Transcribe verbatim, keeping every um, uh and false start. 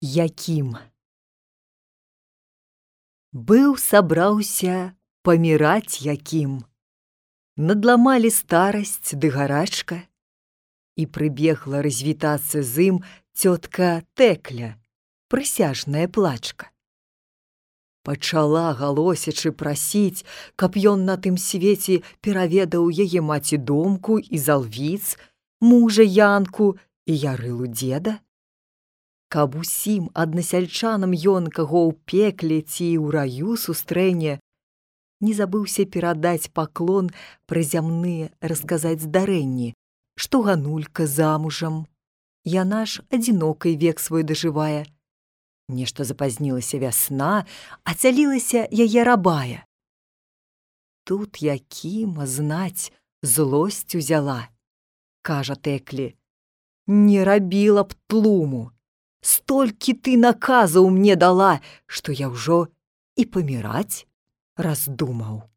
Якім. Быў сабраўся паміраць Якім. Надламалі старасць ды гарачка, і прыбегла развітацца з ім цётка Тэкля, прысяжная плачка. Пачала галосячы прасіць, каб ён на тым свеце пераведаў яе маці Домку і Залвіц, мужа Янку і Ярылу дзеда. Каб усім аднасяльчанам ён, каго ў пекле ці ў раю сустрэне, не забыўся перадаць паклон пра зямныя расказаць здарэнні, што Ганулька замужам. Яна ж адзінокай век свой дажывае. Нешта запазнілася вясна, а цялілася яе рабая. Тут Якіма, знаць, злосць узяла. Кажа Тэклі: «Не рабіла б тлуму. Столькі ты наказаў мне дала, што я ўжо і паміраць раздумаў».